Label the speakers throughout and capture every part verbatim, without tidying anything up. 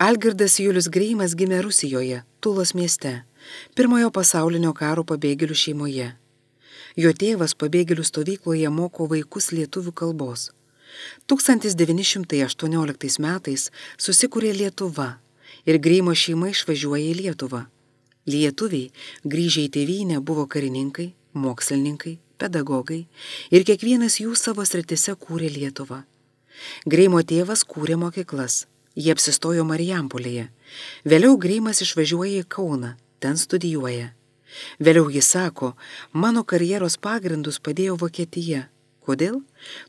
Speaker 1: Algirdas Julius Greimas gimė Rusijoje, Tulos mieste, pirmojo pasaulinio karo pabėgėlių šeimoje. Jo tėvas pabėgėlių stovykloje moko vaikus lietuvių kalbos. tūkstantis devyni šimtai aštuonioliktais metais susikūrė Lietuva ir Greimo šeima išvažiuoja į Lietuvą. Lietuviai, grįžę į tėvynę, buvo karininkai, mokslininkai, pedagogai ir kiekvienas jų savo sritise kūrė Lietuvą. Greimo tėvas kūrė mokyklas, jie apsistojo Marijampolėje. Vėliau Greimas išvažiuoja į Kauną, ten studijuoja. Vėliau jis sako, mano karjeros pagrindus padėjo Vokietija. Kodėl?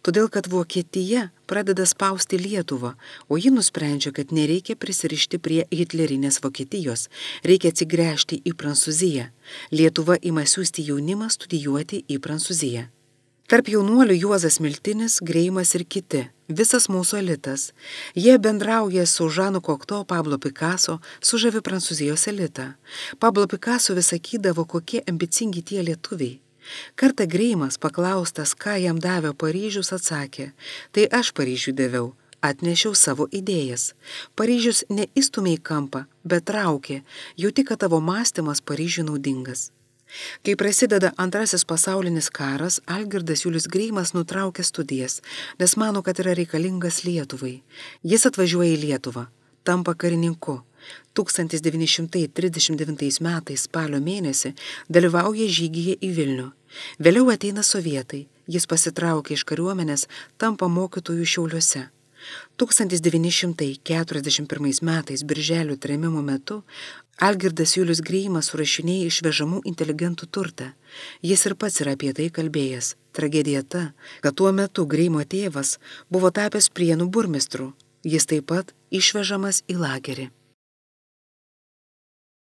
Speaker 1: Todėl, kad Vokietija pradeda spausti Lietuvą, o ji nusprendžia, kad nereikia prisirišti prie hitlerinės Vokietijos, reikia atsigręžti į Prancūziją. Lietuva ima siųsti jaunimą studijuoti į Prancūziją. Tarp jaunuolių Juozas Miltinis, Greimas ir kiti, visas mūsų elitas. Jie bendrauja su Žanu Kokto, Pablo Picasso, sužavi Prancūzijos elitą. Pablo Picasso vis sakydavo, kokie ambicingi tie lietuviai. Kartą Greimas paklaustas, ką jam davė Paryžius, atsakė, tai aš Paryžiui daviau, atnešiau savo idėjas. Paryžius neįstumė į kampą, bet traukė, jauti, kad tavo mąstymas Paryžiui naudingas. Kai prasideda antrasis pasaulinis karas, Algirdas Julius Greimas nutraukia studijas, nes mano, kad yra reikalingas Lietuvai. Jis atvažiuoja į Lietuvą, tampa karininku. tūkstantis devyni šimtai trisdešimt devintais metais spalio mėnesį dalyvauja žygyje į Vilnių. Vėliau ateina sovietai, jis pasitraukia iš kariuomenės, tampa mokytojų Šiauliuose. tūkstantis devyni šimtai keturiasdešimt pirmais metais birželio trėmimo metu Algirdas Julius Greimas surašinėja išvežamų inteligentų turtą. Jis ir pats yra apie tai kalbėjęs. Tragedija ta, kad tuo metu Greimo tėvas buvo tapęs Prienų burmistru. Jis taip pat išvežamas į lagerį.